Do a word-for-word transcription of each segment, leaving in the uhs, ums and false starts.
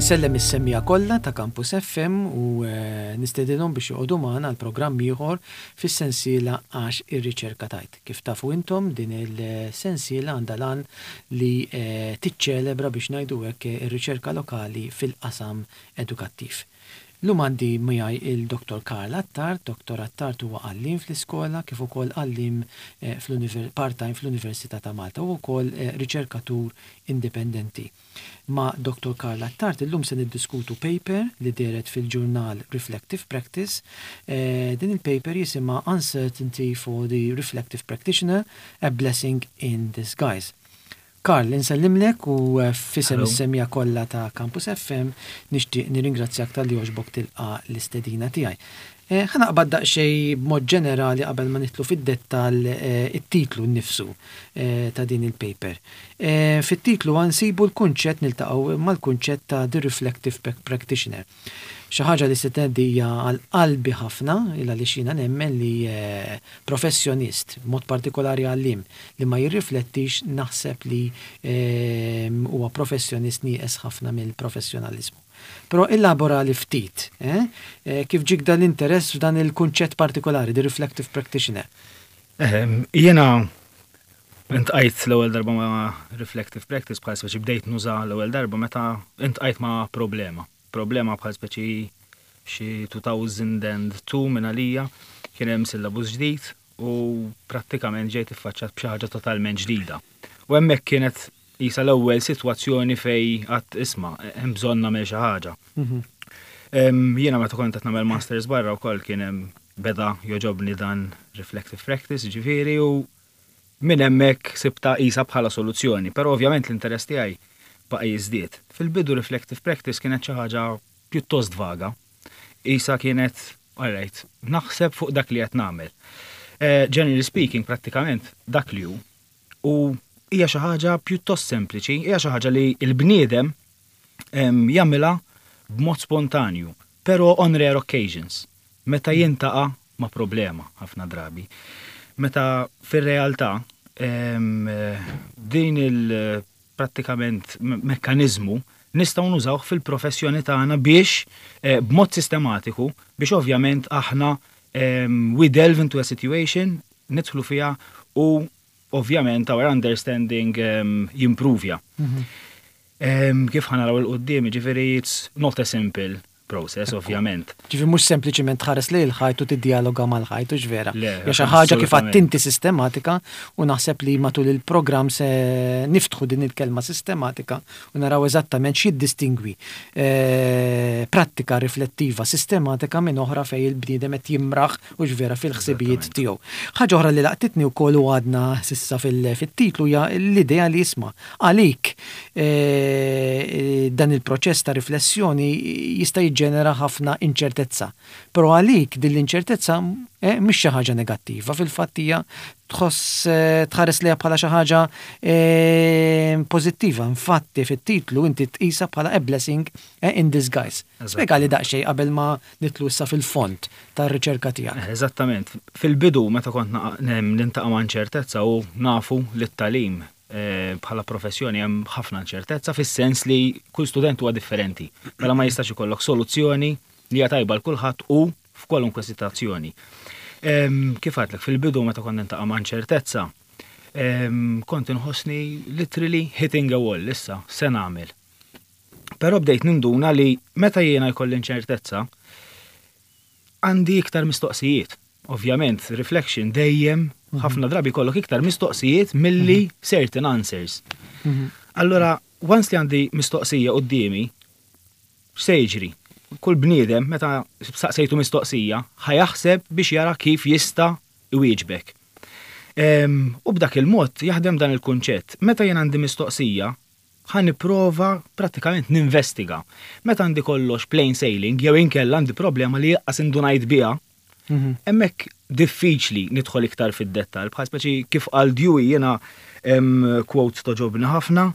Insellem is-semmiegħa kollha ta' Campus F M u eh, nistedinhom biex joqogħdu magħna għal programm ieħor fis-sensiela Għax ir-Riċerka Tgħid. Kif tafu intom, din il-sensiela għandha l-għan li eh, tiċċelebra, biex ngħidu hekk, ir-riċerka lokali fil-qasam edukattiv. Illum għandi miegħi il-Dottor Karl Attard. Dottor Attard huwa għalliem fl-iskola kif ukoll għalliem eh, part-time fl-Università ta' Malta u wkoll riċerkatur indipendenti. Ma' Dottor Karl Attard illum se niddiskutu paper li dehret fil-ġurnal Reflective Practice. Eh, din il-paper jisimha "Uncertainty for the Reflective Practitioner, a Blessing in Disguise". Karl, insellimlek u eh, f'isem is-semmiegħa kollha ta' Campus F M nixtieq nirringrazzjak talli għoġbok tilqa' l-istedina tiegħi. Eh, ħa naqbad daqsxejn b'mod ġenerali qabel ma nidħlu fid-dettall eh, it-titlu nnifsu eh, ta' din il-paper. Fit-titlu nsibu l-kunċett, niltaqgħu mal-kunċett ta' The Reflective Practitioner. Xi ħaġa li se hija għal qalbi ħafna, illa li xina nemmen li professjonist, mod partikolari għalliem, li ma jirriflettix, naħseb li huwa professjonist nieqes ħafna mill-professjonalizmu. Però illabora li ftit, eh? eh kif ġiek dan l-interess f'dan il-kunċett partikolari, the reflective practitioner? Jiena iltqajt l-ewwel darba ma' reflective practice, bħal speċi bdejt nuża l-ewwel darba meta iltqajt ma' problema. Problema bħal speċi xi elfejn u tnejn minn għalija kien hemm syllabus ġdid u prattikament ġejt iffaċċat b'xi ħaġa totalment ġdida. U hemmhekk kienet jisa l-ewwel sitwazzjoni fej għedt, "Isma', hemm bżonn nagħmel xi ħaġa." Mhm. Jiena meta kont qed nagħmel masters barra wkoll kien hemm beda jogħġobni dan reflective practice, ġifieri, u minn hemmhekk sibtha qisha bħala soluzzjoni, però ovvjament l-interess tiegħi baqa' jiżdied. Fil-bidu reflective practice kienet xi ħaġa pjuttost vaga. Qisha kienet, alright, naħseb fuq dak li qed nagħmel. Eh, generally speaking, prattikament dak li hu. U hija xi ħaġa pjuttost sempliċi, hija xi ħaġa li l-bniedem jagħmilha b'mod spontanju, però on rare occasions, meta jiltaqa' ma' problema ħafna drabi. Meta fir-realtà din il prattikament mekkanizmu nistgħu nużawh fil-professjoni tagħna biex eh, b'mod sistematiku, biex ovvjament aħna we delve into a situation, nidħlu fiha u ovvjament our understanding um, jimprovja. Mm -hmm. um, kif ħa naraw 'il quddiem, ġifieri, it's not a simple process, ovvjament. Ġifieri mhux sempliċiment tħares li l-ħajt u tiddialoga mal-ħajt, u vera. Ja, xi ħaġa, kif inti, sistematika, u naħseb li matul il-programm se niftħu din il-kelma sistematika u naraw eżattament x'jiddistingwi eh, prattika riflettiva sistematika minn oħra fej il-bniedem qed jimraħ u vera fil-ħsibijiet tiegħu. Ħaġa oħra li laqtitni wkoll u għadna s'issa fil-titlu hija l-idea li, isma', għalik eh, dan il-proċess ta' riflessjoni jista' jiġġenera ħafna inċertezza. Però għalik din l-inċertezza eh, mhix xi ħaġa negattiva, fil-fatt hija tħoss eh, tħares liha bħala xi ħaġa eh, pożittiva. Infatti fit-titlu inti tqisha bħala a blessing eh, in disguise. Spjegali daqsxejn qabel ma nidħlu issa fil-fond tar-riċerka tiegħek. Eh, Eżattament. Fil-bidu meta kont niltaqa' ma' inċertezza, u nafu li t-tagħlim eh, bħala professjoni hemm ħafna inċertezza fis-sens li kull student huwa differenti. Mela ma jistax ikollok soluzzjoni li hija tajba l kulħadd u f'kwalunkwe situazzjoni. Em, Kif għedtlek, fil-bidu meta kont niltaqa' ma' inċertezza, em, kont inħossni literally hitting a wall, issa se nagħmel. Però bdejt ninduna li meta jiena jkolli inċertezza, għandi iktar mistoqsijiet. Ovvjament, reflection dejjem ħafna drabi kollok iktar mistoqsijiet milli certain answers. Allora, once li għandi mistoqsija quddiemi, x'se jiġri? Kull bniedem meta saqsejtu mistoqsija, ħa jaħseb biex jara kif jista' iwieġbek. Em, U b'dak il-mod jaħdem dan il-kunċett. Meta jien għandi mistoqsija, ħa nipprova prattikament ninvestiga. Meta għandi kollox plain sailing, jew inkella għandi problema li lanqas indunajt biha, hemmhekk diffiċli nidħol iktar fid-dettal. Bħal speċi kif qal Dewey, jiena em, quote togħġobni ħafna,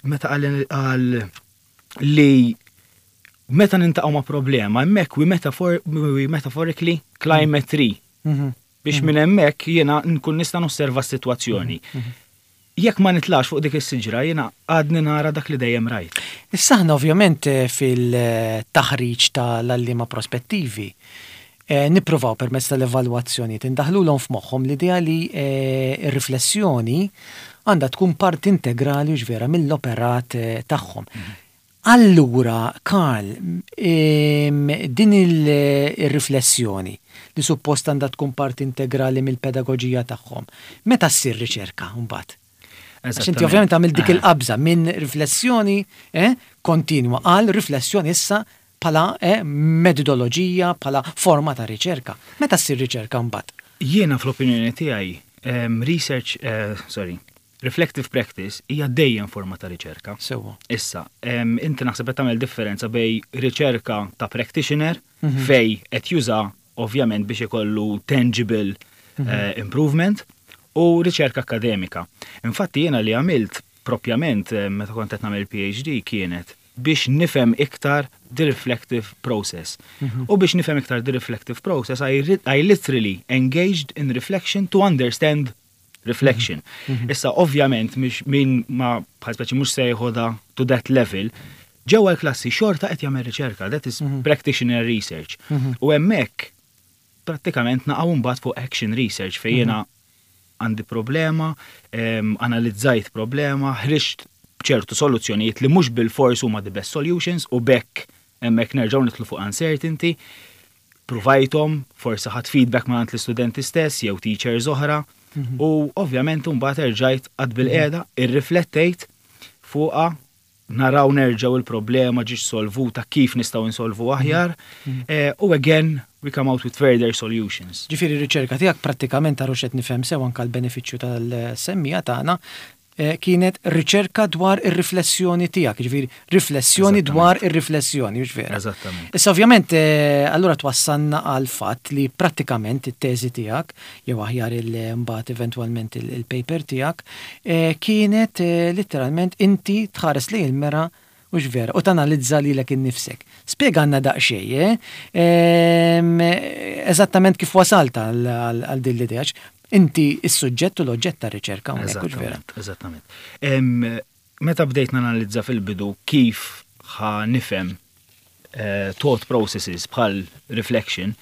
meta qal qal li meta niltaqgħu ma' problema, hemmhekk we, metaphor, we metaphorically climb a tree. Biex minn hemmhekk jiena nkun nista' nosserva s-sitwazzjoni. Jekk ma nitlax fuq dik is-siġra, jiena għadni nara dak li dejjem rajt. Issa aħna ovvjament eh, fil-taħriġ tal-għalliema prospettivi eh, nippruvaw permezz tal-evalwazzjoni tindaħlulhom f'moħħhom l-idea li eh, r-riflessjoni għandha tkun parti integrali u vera mill-operat eh, tagħhom. Allura, Karl, em, din il-riflessjoni li suppost għandha tkun parti integrali mill-pedagogija tagħhom, meta ssir riċerka mbagħad? Għax inti ovvjament għamil dik il-qabża minn riflessjoni eh, kontinwa għal riflessjoni issa bħala eh, metodoloġija, bħala forma ta' riċerka. Meta ssir riċerka mbagħad? Jiena fl-opinjoni tiegħi em, research, eh, sorry, reflective practice hija dejjem forma ta' riċerka. Sewwa. Issa, em, inti naħseb qed tagħmel differenza bejn riċerka ta' practitioner fejn qed juża ovvjament biex ikollu tangible eh, improvement u riċerka akademika. Infatti jiena li għamilt propjament eh, meta kont qed nagħmel P H D kienet biex nifhem iktar the reflective process. U biex nifhem iktar the reflective process, I, ri- I literally engaged in reflection to understand reflection. Issa, ovvjament, mhix min ma bħal speċi mhux se jeħodha to that level, ġewwa l-klassi xorta qed jagħmel riċerka, that is practitioner research. U hemmhekk prattikament naqgħu mbagħad fuq action research fejn jiena għandi problema, em, analizzajt problema, ħriġt ċertu soluzzjonijiet li mhux bil-fors huma the best solutions u bekk hemmhekk nerġgħu nidħlu fuq uncertainty, provajthom, forsi ħadt feedback ma' l-istudenti stess jew teachers oħra, u ovvjament mbagħad erġajt qgħadt bilqiegħda, irriflettejt fuqha, naraw nerġgħu il-problema ġietx solvuta, kif nistgħu insolvu aħjar, eh, u again we come out with further solutions. Ġifieri riċerka tiegħek prattikament ta' qed nifhem sew anke l-benefiċċju tas-semmiegħa tagħna eh, kienet riċerka dwar ir-riflessjoni tiegħek, ġifieri riflessjoni dwar ir-riflessjoni, hux vera? Eżattament. Issa ovvjament eh, allura twassalna għal fatt li prattikament it-teżi tiegħek jew aħjar il-mbagħad eventwalment il- il-paper tiegħek eh, kienet eh, letteralment inti tħares lejn il-mera, hux vera, u tanalizza lilek innifsek. Spjegalna daqsxejn, eh? Ehm, eżattament kif wasalt għal għal din l-idea. Inti is-suġġett u l-oġġett ta' riċerka hawnhekk, hux vera? Eżattament, eżattament. Em, Meta bdejt nanalizza fil-bidu kif ħa nifhem eh, thought processes bħal reflection,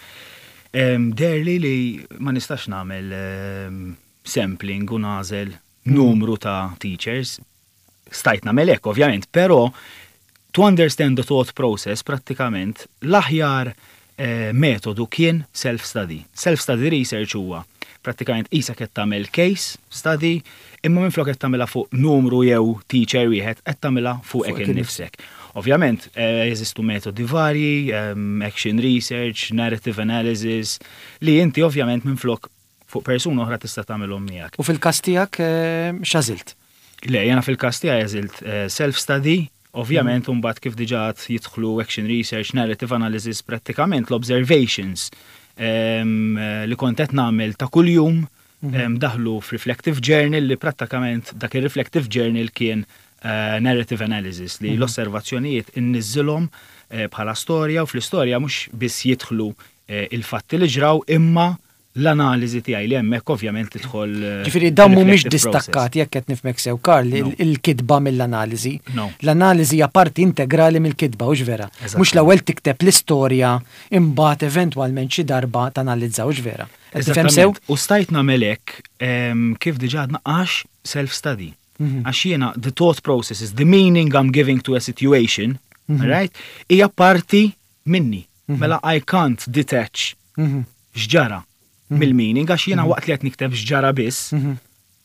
em, deherli li ma nistax nagħmel em, sampling u nagħżel numru ta' teachers. Stajt nagħmel hekk, ovvjament, però to understand the thought process prattikament l-aħjar eh, metodu kien self-study. Self-study research huwa prattikament isa qed tagħmel case study, imma minflok qed tagħmilha fuq numru jew teacher wieħed, qed tagħmilha fuq Fuq hekk innifsek. Ovvjament, eh, jeżistu metodi varji, em, action research, narrative analysis, li inti ovvjament minflok fuq persuna oħra tista' tagħmilhom miegħek. U fil-każ tiegħek eh, x'għażilt? Le, jiena fil-każ tiegħi għażilt eh, self-study, ovvjament mbagħad kif diġà jidħlu action research, narrative analysis, prattikament l-observations em, eh, li kont qed nagħmel ta' kuljum em, daħlu f'reflective journal li prattikament dak il-reflective journal kien eh, narrative analysis li l-osservazzjonijiet inniżżilhom eh, bħala storja u fl-istorja mhux biss jidħlu eh, il-fatti li ġraw imma l-analiżi tiegħi li hemmhekk ovvjament tidħol eh, Ġifieri dawn mhumiex reflective process. distakkati, jekk qed nifhmek sew, Karl, No. il- il-kitba mill-analiżi. No. L-analiżi hija parti integrali mill-kitba, hux vera? Eżattament. Mhux l-ewwel tikteb l-istorja, imbagħad eventwalment xi darba tanalizza, hux vera? Qed tifhem sew? Eżattament. U stajt nagħmel hekk em, kif diġà għadna għax self-study. Mhm. Għax jiena the thought processes, the meaning I'm giving to a situation, Mhm. right, hija parti minni. Mela I can't detach Mhm. x'ġara mill-meaning għax jiena waqt li qed nikteb x'ġara biss, Mhm.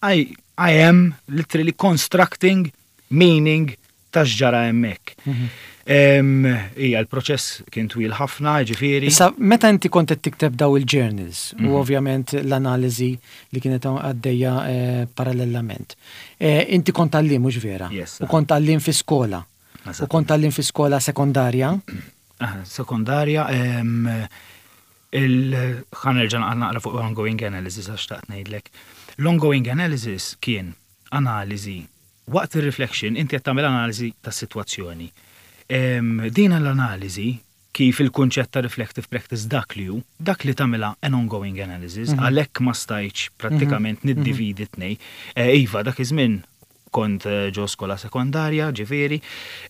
I, I am literally constructing meaning ta' x'ġara hemmhekk. Mhm. Em, Ija, l-proċess kien twil ħafna, ġifieri. Issa, meta inti kont qed tikteb daw il-journals Mhm. u ovvjament l-analiżi li kienet għaddejja eh, parallelament. Eh, inti kont għalliem, mhux vera? Yes. U kont għalliem fi skola. U Eżattament. kont għalliem fi skola sekondarja. Ah, sekondarja, em, il ħa nerġa' naqra fuq ongoing analysis għax xtaqt ngħidlek. L-ongoing analysis kien analiżi waqt il-reflection inti qed tagħmel analiżi tas-sitwazzjoni. Em, Din l-analiżi Kif il-kunċett ta' reflective practice dak li hu, dak li tagħmilha an ongoing analysis, mhm. għalhekk ma stajtx prattikament mhm. niddividi tnej. Eh, iva, dak iż-żmien kont eh, ġo skola sekondarja, ġifieri,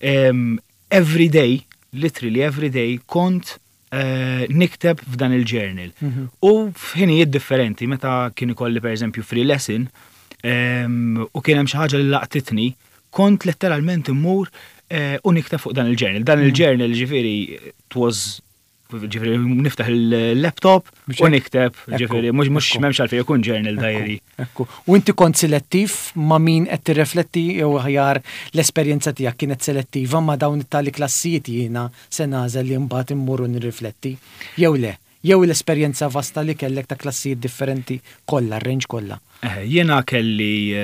every day, literally every day, kont eh, nikteb f'dan il-journal. Mhm. U f'ħinijiet differenti, meta kien ikolli, per eżempju, free lesson, u kien hemm xi ħaġa li laqtitni, kont letteralment immur eh, u nikteb fuq dan il-journal. Dan mhm. il-journal, ġifieri, it was, ġifieri, niftaħ il-laptop u nikteb, ġifieri, mhux mhux m'hemmx għalfejn ikun journal diary. Ekku. U inti kont selettiv ma' min qed tirrefletti, jew aħjar l-esperjenza tiegħek kienet selettiva ma' dawn it-tali klassijiet jiena se nagħżel li mbagħad immur u nirrifletti? Jew le? Jew l-esperjenza vasta li kellek ta' klassijiet differenti kollha, range kollha? Eh, jiena kelli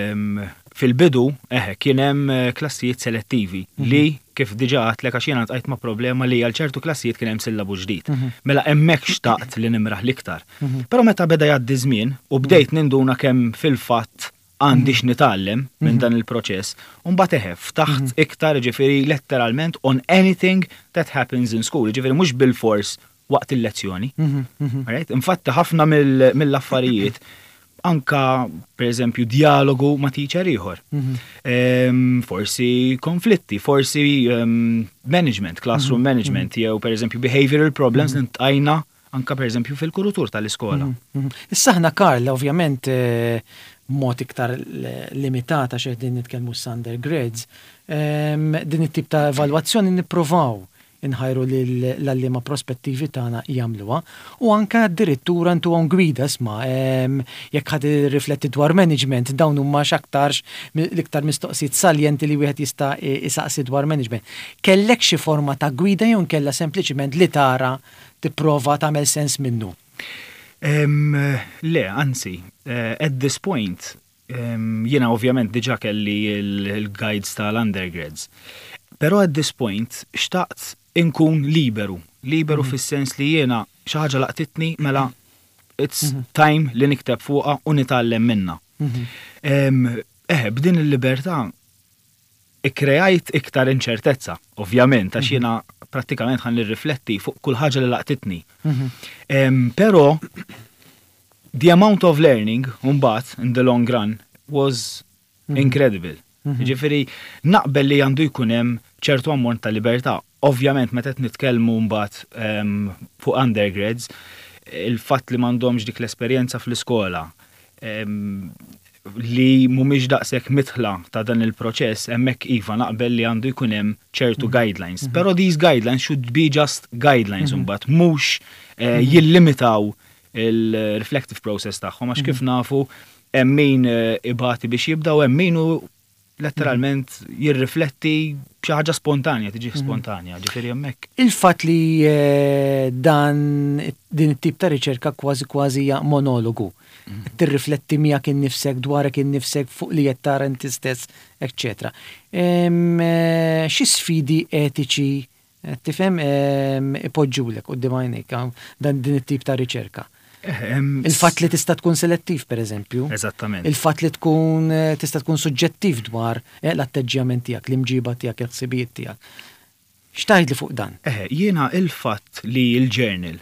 fil-bidu, eħe, kien hemm eh, klassijiet selettivi mhm. li kif diġà għedtlek, għax jiena ltqajt ma' problema li għal ċertu klassijiet kien hemm sillabu ġdid. Mhm. Mela hemmhekk xtaqt li nimraħ l-iktar. Mhm. Però meta beda jgħaddi żmien u bdejt ninduna kemm fil-fatt għandi x'nitgħallem minn dan il-proċess, u mbagħad eħe, ftaħt iktar, ġifieri, letteralment on anything that happens in school, ġifieri mhux bil-fors waqt il-lezzjoni. Infatti ħafna mill-affarijiet, anka per eżempju dialogu ma' teacher ieħor. Mhm. Forsi konflitti, forsi management, classroom mhm. management, jew per eżempju behavioral problems mm ltqajna anka per eżempju fil-kuritur tal-iskola. Mhm. Issa aħna, Karl, ovvjament eh, mod iktar limitata xeħ din nitkellmu undergrads, din it-tip ta' evalwazzjoni nippruvaw inħajru l-għalliema prospettivi tagħna jagħmluha u anke addirittura ntuhom gwida, isma', jekk ħa tirrifletti dwar management, dawn huma x'aktarx l-iktar mistoqsijiet saljenti li wieħed jista' isaqsi dwar management. Kellek xi forma ta' gwida jew kella sempliċiment li tara tipprova tagħmel sens minnu? Le, anzi, eh, at this point, jiena ovvjament diġà kelli il-guides tal-undergrads. Però at this point xtaqt inkun liberu, liberu mm -hmm. fis-sens li jiena xi ħaġa laqtitni, mela it's mm -hmm. time li nikteb fuqha u nitgħallem minna. Mm -hmm. Eh, b'din il-libertà ikkrejajt iktar inċertezza, ovvjament, għax mhm. jiena prattikament ħa nirrifletti fuq kull ħaġa li laqtitni. Mhm. Però the amount of learning mbagħad in the long run was mhm. incredible. Ġifieri, naqbel li għandu jkun hemm ċertu ammont ta' libertà. Ovvjament, meta qed nitkellmu mbagħad fuq undergrads, il-fatt li m'għandhomx dik l-esperjenza fl-iskola, li mhumiex daqshekk midħla ta' dan il-proċess, hemmhekk iva, naqbel li għandu jkun hemm ċertu mhm. guidelines. Mhm. Però these guidelines should be just guidelines mhm. mbagħad, mhux eh, jillimitaw il-reflective process tagħhom, għax kif nafu hemm min eh, ibati biex jibda u hemm min letteralment jirrifletti xi ħaġa spontanja, tiġi mhm. spontanja, ġifieri hemmhekk. Il-fatt li eh, dan din it-tip ta' riċerka kważi kważi hija monologu. Mhm. Tirrifletti miegħek innifsek, dwarek innifsek, fuq li qed tara inti stess, eċċetera. Eh, xi sfidi etiċi eh, tifhem ipoġġulek quddiem għajnejk dan din it-tip ta' riċerka? Il-fatt li tista' tkun selettiv, per eżempju. Eżattament. Il-fatt li tkun eh, tista' tkun suġġettiv dwar eh, l-atteġġjament tiegħek, l-imġiba tiegħek, il-ħsibijiet tiegħek. X'tgħid li fuq dan? Eh, jiena il-fatt li il-journal,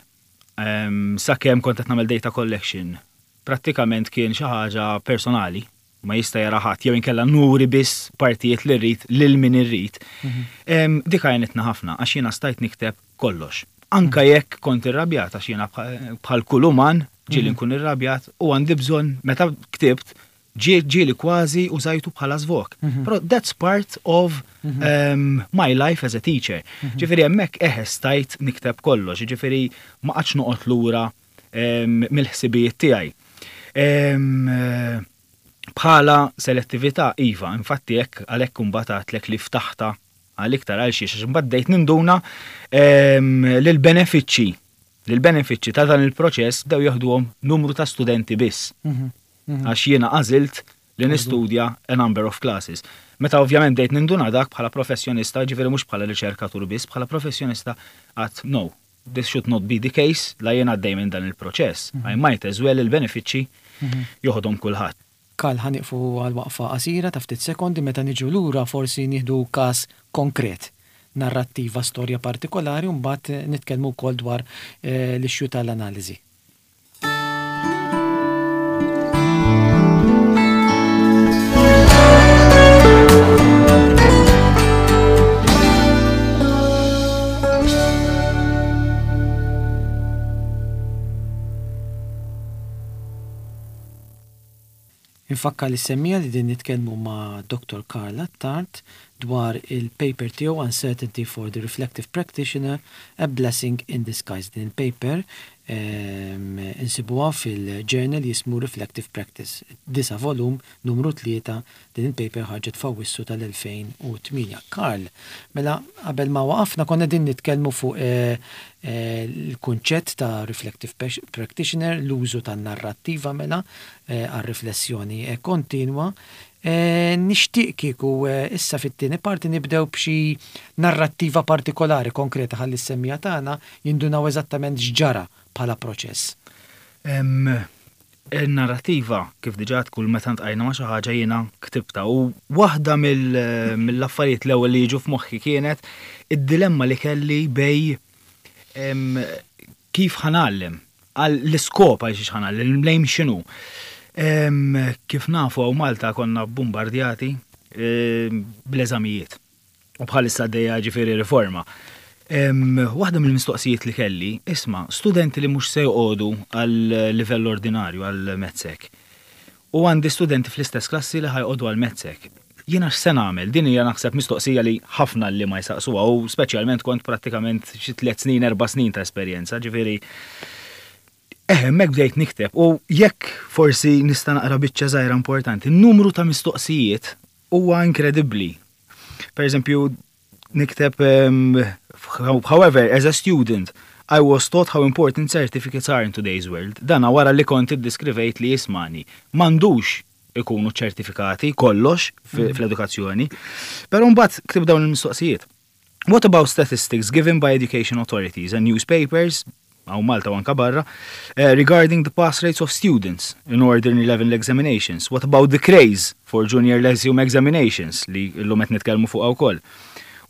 sakemm kont qed nagħmel data collection, prattikament kien xi ħaġa personali, ma jista' jara ħadd jew inkella nuri biss partijiet li rrid lil min irrid. Mhm. Dik għajnitna ħafna għax jiena stajt nikteb kollox. Anka jekk kont irrabjat, għax jiena bħal kull uman ġieli mhm. nkun irrabjat u għandi bżonn, meta ktibt ġieli kważi użajtu bħala żvog. Mhm. Però that's part of um, my life as a teacher. Ġifieri hemmhekk eħe, stajt nikteb kollox, ġifieri ma qgħadx noqgħod lura um, mill-ħsibijiet tiegħi. Um, bħala selettività, iva, infatti hekk għalhekk imbagħad li ftaħta għal iktar, għal xiex imbagħad bdejt ninduna l-benefiċċji l-benefiċċji ta' dan il-proċess bdew jaħduhom numru ta' studenti biss. Mhm, mhm. Għax jiena għażilt li nistudja a number of classes. Meta ovvjament bdejt ninduna dak bħala professjonista, ġifieri mhux bħala riċerkatur biss, bħala professjonista, għedt no, this should not be the case, la jiena għaddej minn dan il-proċess. Mhm. I might as well il-benefiċċji joħodhom kulħadd. Karl, ħa nieqfu għal waqfa qasira ta' ftit sekondi. Meta niġu lura forsi nieħdu każ konkret. Narrattiva, storja partikolari, u mbagħad nitkellmu wkoll dwar eh, l-issue tal-analiżi. Infakkar lis-semmiegħa li din nitkellmu ma' Doctor Karl Attard dwar il-paper tiegħu Uncertainty for the Reflective Practitioner, A Blessing in Disguise. Din il-paper ehm, insibuha fil-journal jismu Reflective Practice. Disa' volum, numru tlieta, din il-paper ħarġet f'Awwissu tal-elfejn u tmienja. Karl, mela qabel ma waqafna konna din nitkellmu fuq eh, eh, il-kunċett ta' Reflective Practitioner, l-użu ta' narrattiva mela eh, għal-riflessjoni kontinwa. Nixtieq kieku issa fit-tieni parti nibdew b'xi narrattiva partikolari konkreta ħalli s-semmiegħa tagħna jindunaw eżattament x'ġara bħala proċess. Il-narrativa, kif diġà kull meta ltqajna ma' xi ħaġa jiena ktibta, u waħda mill-affarijiet l-ewwel li jiġu f'moħħi kienet id-dilemma li kelli bejn kif ħa ngħallem, għal l-iskop għal xiex ħa ngħallem, lejn x'inhu. Kif nafu, hawn Malta konna bombardjati bl-eżamijiet. U bħalissa għaddejja ġifieri riforma. Waħda mill-mistoqsijiet li kelli, isma', studenti li mhux se joqogħdu għal livell ordinarju għal MATSEC. U għandi studenti fl-istess klassi li ħa joqogħdu għal MATSEC. Jiena x'se nagħmel? Din hija naħseb mistoqsija li ħafna li ma jsaqsuha, u speċjalment kont prattikament xi tliet snin, erba' snin ta' esperjenza, ġifieri Eh, hemmhekk bdejt nikteb u jekk forsi nista' naqra biċċa żgħira importanti, n-numru ta' mistoqsijiet huwa inkredibbli. Per eżempju, nikteb um, "However, as a student, I was taught how important certificates are in today's world." Dana wara li kont iddiskrivejt li jismani. M'għandux ikunu ċertifikati kollox mhm. fl-edukazzjoni. Però mbagħad ktibt dawn il-mistoqsijiet. "What about statistics given by education authorities and newspapers hawn Malta u anka barra, uh, regarding the pass rates of students in ordinary level examinations? What about the craze for junior lyceum examinations li llum qed nitkellmu fuq wkoll?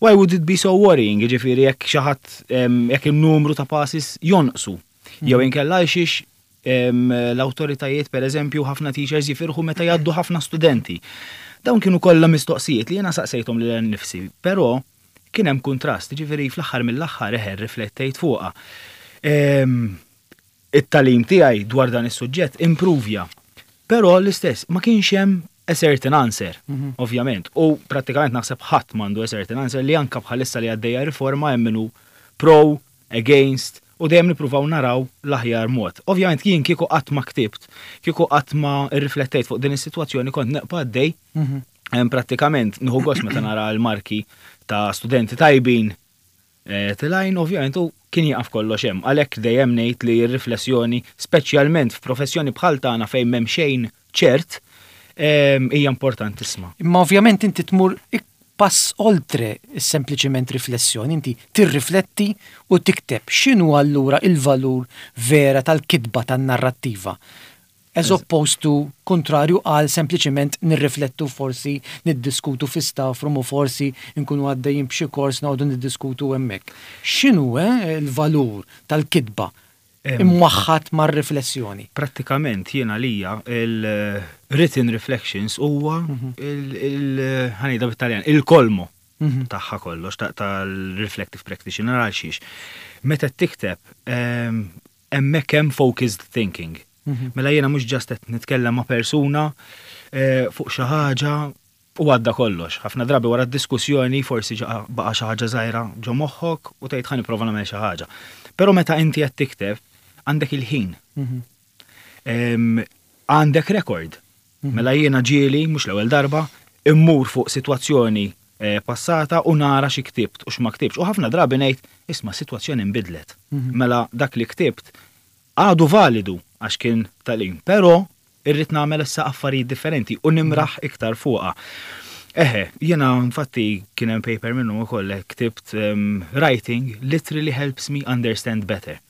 Why would it be so worrying, jiġifieri jekk xi ħadd jekk il-numru ta' passes jonqsu? Jew mhm. inkella xiex l-autoritajiet, per eżempju, ħafna teachers jifirħu meta jgħaddu ħafna studenti?" Dawn kienu kollha mistoqsijiet li jiena saqsejthom lil nifsi, però kien hemm kontrast, ġifieri fl-aħħar mill-aħħar eħer riflettejt fuqha. It-tagħlim tiegħi dwar dan is-suġġett improvja. Però l-istess ma kienx hemm a certain answer, mhm. ovvjament. U prattikament naħseb ħadd m'għandu a certain answer, li anka bħalissa li għaddejja riforma hemm minnu pro, against, u dejjem nippruvaw naraw l-aħjar mod. Ovvjament jien kieku qatt ma ktibt, kieku qatt ma rriflettejt fuq din is-sitwazzjoni, kont neqpa' għaddej. Mhm. Prattikament nieħu gost meta nara l-marki ta' studenti tajbin eh, telgħin, ovvjament, u kien jaqaf kollox hemm. Għalhekk dejjem ngħid li r-riflessjoni, speċjalment f'professjoni bħal tagħna fejn m'hemm xejn ċert, hija importantissima. Imma ovvjament inti tmur pass oltre sempliċement riflessjoni, inti tirrifletti u tikteb. X'inhu allura il-valur vera tal-kitba tan-narrattiva? As opposed to, kontrarju għal sempliċement nirriflettu, forsi niddiskutu fi staff room u forsi nkunu għaddejjin b'xi kors noqogħdu niddiskutu hemmhekk. X'inhu eh, il-valur tal-kitba imwaħħat mar-riflessjoni? Prattikament jiena lija il-written reflections huwa mhm. il ħa ngħidha bit-Taljan, il-kolmo mhm. tagħha kollox tal-reflective practitioner, għal xiex. Meta tikteb, hemmhekk hemm focused thinking. Mhm. Mela jiena mhux just qed nitkellem ma' persuna eh, fuq xi ħaġa u għadda kollox. Ħafna drabi wara d-diskussjoni forsi baqa' xi ħaġa żgħira ġo moħħok u tgħid, "Ħa nipprova nagħmel xi ħaġa." Però meta inti qed tikteb għandek il-ħin. Mhm. Għandek rekord. Mhm. Mela jiena ġieli, mhux l-ewwel darba, immur fuq sitwazzjoni eh, passata u nara xi ktibt u x'ma ktibx. U ħafna drabi ngħid, "Isma', sitwazzjoni nbidlet." Mela dak li ktibt għadu validu għax kien tagħlim, però irrid nagħmel issa affarijiet differenti u nimraħ iktar fuqha. Eħe, jiena infatti kien hemm paper minnu ukoll ktibt um, "Writing literally helps me understand better."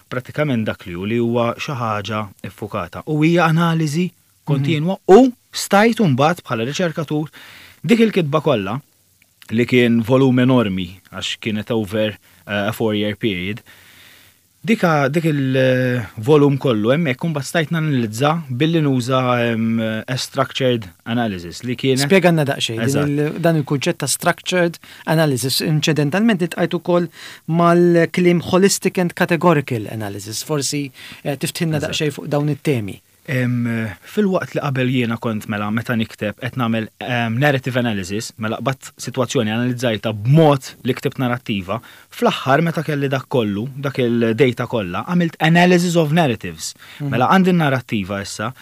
Prattikament dak li hu li huwa xi ħaġa iffukata u hija analiżi kontinwa, u stajt mbagħad bħala riċerkatur dik il-kitba kollha Li kien volum enormi għax kienet over uh, a four-year period. Dika dik il-volum kollu hemmhekk imbagħad stajt nanalizza billi nuża um, a structured analysis li kienet. Spjegalna daqsxejn din Eżatt. il- dan il-kunċett ta' structured analysis. Inċidentalment iltqajt ukoll mal-kliem holistic and categorical analysis. Forsi eh, tiftħilna Eżatt. daqsxejn fuq dawn it-temi. Em, Fil-waqt li qabel jiena kont mela meta nikteb qed nagħmel em, narrative analysis, mela qbadt sitwazzjoni, analizzajta b'mod li ktibt narrattiva, fl-aħħar meta kelli dak kollu, dak il-data kollha, għamilt analysis of narratives. Mela għandi narrattiva issa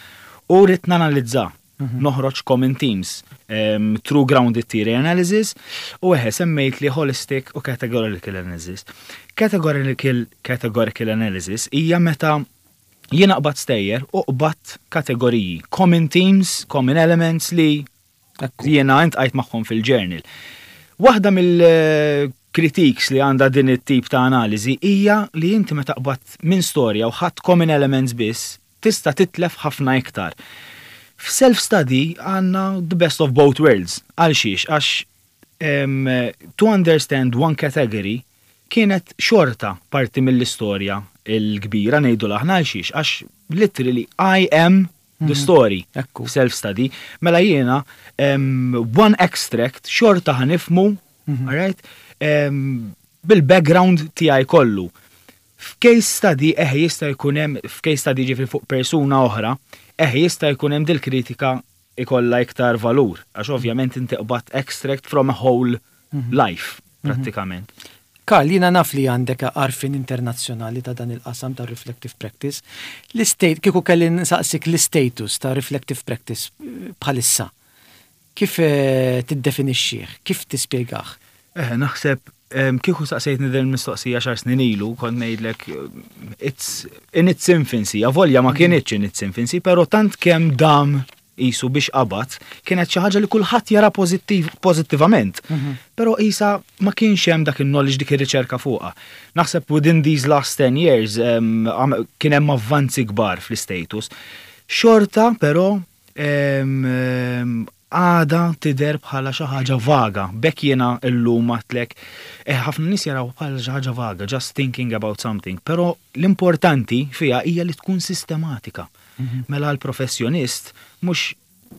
u rrid nanalizza. Noħroġ common themes, um, through grounded theory analysis, u eħe semmejt li holistic u categorical analysis. Categorical, categorical analysis hija meta jiena qbad stejjer u qbad kategoriji, common themes, common elements li Ekku. jiena iltqajt magħhom fil-journal. Waħda mill-critiques li għandha din it-tip ta' analiżi hija li inti meta qbad minn storja u ħadt common elements biss, tista' titlef ħafna iktar. F'self-study għandna the best of both worlds. Għal xiex? Għax um, to understand one category kienet xorta parti mill-istorja il-kbira, ngħidu aħna. Għal xiex? Għax literally I am the story. Ekku. Self-study. Mela jiena um, one extract xorta ħa nifhmu, alright, um, bil-background tiegħi kollu. F'case study eħe jista' jkun hemm, f'case study ġifieri fuq persuna oħra, eħe jista' jkun hemm dil-kritika ikolla iktar valur, għax ovvjament inti qbadt extract from a whole life, prattikament. Karl, jiena naf li għandek għarfien internazzjonali ta' dan il-qasam ta' reflective practice. L-state, kieku kelli nsaqsik l-status ta' reflective practice eh, bħalissa, kif eh, tiddefinixxih? Kif tispjegah? Eh, naħseb em, kieku saqsejtni din mistoqsija għaxar snin ilu, kont ngħidlek eh, it's in its infancy, avolja ma kienitx in its infancy, pero tant kemm dam isu biex qabad, kienet xi ħaġa li kulħadd jara pożittiv pożittivament. Però isa ma kienx hemm dak il-knowledge, dik ir-riċerka fuqha. Naħseb within these last ten years em, għam- kien hemm avvanzi kbar fl-status. Xorta però em, em, għada tidher bħala xi ħaġa vaga. Bekk jiena llum għedtlek, eh, ħafna nies jaraw bħala xi ħaġa vaga, just thinking about something. Però l-importanti fiha hija li tkun sistematika. Mela l-professjonist mhux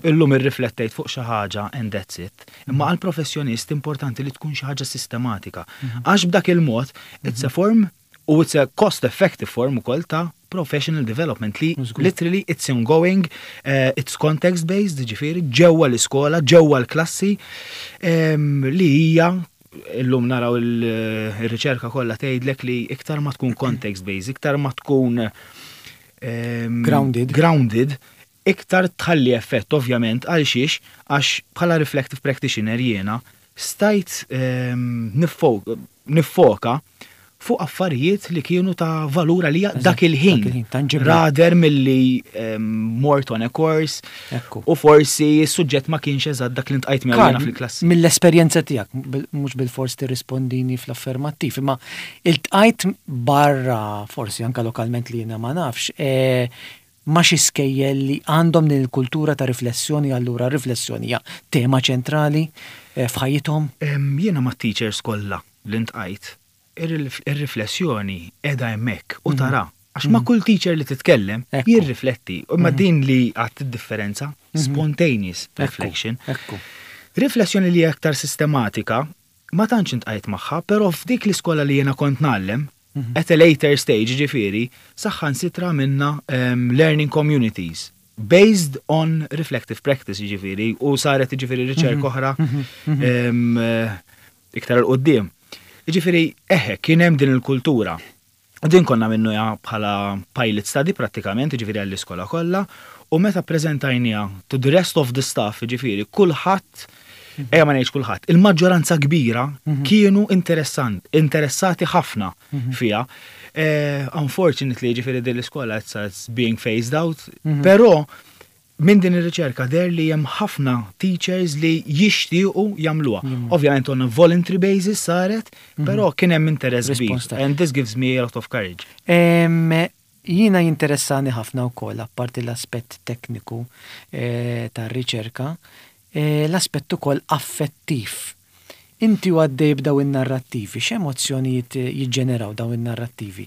illum irriflettejt fuq xi ħaġa and that's it. Imma għal professjonist importanti li tkun xi ħaġa sistematika. Għax b'dak il-mod it's a form u it's a cost effective form ukoll ta' professional development li Żgur. literally it's ongoing, uh, it's context based, ġifieri ġewwa l-iskola, ġewwa l-klassi, em, li hija illum naraw il- il-riċerka kollha tgħidlek li iktar ma tkun context based, iktar ma tkun em, Grounded. grounded, iktar tħalli effett ovvjament. Għal xiex? Għax bħala reflective practitioner jiena stajt em, nifo- niffoka fuq affarijiet li kienu ta' valur għalija dak il-ħin. Dak il-ħin, tangibli. Rather milli um, mort on a course Ekku. u forsi s-suġġett ma kienx eżatt dak li ltqajt miegħu jiena fil-klassi. Mill-esperjenza tiegħek, bil- mhux bil-fors tirrispondini fl-affermattiv, imma iltqajt barra, forsi anka lokalment li jiena ma nafx, eh, ma xi skejjel li għandhom din il-kultura ta' riflessjoni, allura riflessjoni hija tema ċentrali eh, f'ħajjithom? Em, Jiena ma' teachers kollha li ltqajt, ir-riflessjoni qiegħda hemmhekk u tara. Għax ma' kull teacher li titkellem Ekku. jirrifletti. U ma din li għat differenza, spontaneous Ekku, reflection. Ekku. Riflessjoni li hija aktar sistematika, ma tantx iltqajt magħha, però f'dik l-iskola li jiena kont ngħallem, at a later stage ġifieri, saħansitra minna um, learning communities based on reflective practice ġifieri, u saret ġifieri riċerka oħra em, eh, iktar 'il quddiem. Ġifieri, eħe, kien hemm din il-kultura. U din konna għamilnieha bħala pilot study prattikament, ġifieri għall-iskola kollha, u meta prezentajnieha to the rest of the staff, ġifieri, kulħadd, ejja ma ngħidx kulħadd, il-maġġoranza kbira kienu interessant, interessati ħafna fiha. Eh, unfortunately, ġifieri din l-iskola it's, it's being phased out, però minn din ir-riċerka deher li hemm ħafna teachers li jixtiequ jagħmluha. Ovvjament on a voluntary basis saret, però kien hemm interess kbir. Response ta' And this gives me a lot of courage. Em, Jiena jinteressani ħafna wkoll, apparti l-aspett tekniku eh, tar-riċerka, eh, l-aspett ukoll affettiv. Inti u għaddej b'daw in-narrattivi, x'emozzjonijiet jiġġeneraw daw in-narrattivi?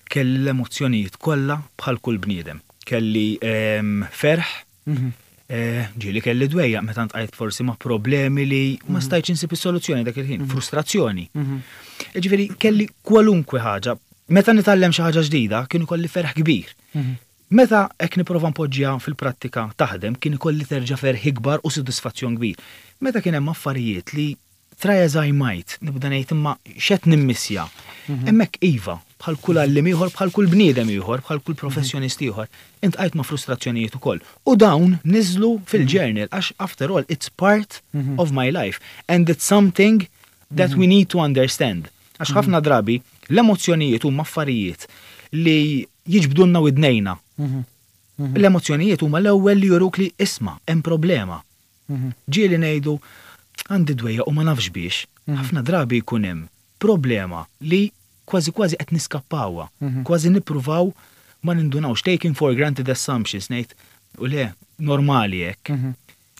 Kelli l-emozzjonijiet kollha bħal kull bniedem. Kelli ehm, ferħ, Mhm. eh, ġieli kelli dwejjaq meta ltqajt forsi ma' problemi li ma stajtx insib is-soluzzjoni dak il-ħin, frustrazzjoni. Mhm. Ġifieri kelli kwalunkwe ħaġa. Meta nitgħallem xi ħaġa ġdida, kien ikolli ferħ kbir. Mhm. Meta hekk nipprova npoġġiha fil-prattika taħdem, kien ikolli terġa' ferħ ikbar u sodisfazzjon kbir. Meta kien hemm affarijiet li try as I might, nibda ngħid imma x'qed nimmissja. Hemmhekk iva, bħal kull għalliem ieħor, bħal kull bniedem ieħor, bħal kull professjonist ieħor, iltqajt ma' frustrazzjonijiet ukoll. U dawn niżlu fil-journal għax after all it's part of my life and it's something that we need to understand. Għax ħafna drabi l-emozzjonijiet huma affarijiet li jiġbdulna widnejna. Mhm. L-emozzjonijiet huma l-ewwel li juruk li isma' hemm problema. Mhm. Ġieli ngħidu għandi dwejjaq u ma nafx biex. Ħafna drabi jkun hemm problema li kważi kważi qed niskappawha, kważi nippruvaw ma nindunawx, taking for granted assumptions, ngħid u le normali hekk. Mhm.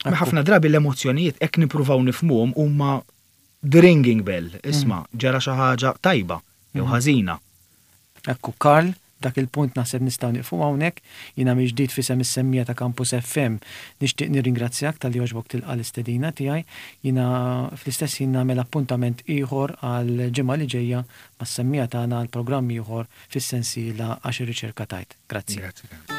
Ma ħafna drabi l-emozzjonijiet hekk nippruvaw nifhmuhom huma the ringing bell, isma' ġara xi ħaġa tajba jew ħażina. Ekku, Karl, dak il-punt naħseb nistgħu nieqfu hawnhekk, jiena mill-ġdid f'isem is-semmiegħa ta' Campus F M nixtieq nirringrazzjak talli għoġbok tilqa' l-istedina tiegħi. Jiena fl-istess ħin nagħmel appuntament ieħor għal ġimgħa li ġejja mas-semmiegħa tagħna għal programm ieħor fis-sensiela Għax ir-Riċerka Tgħid. Grazzi. Grazzi.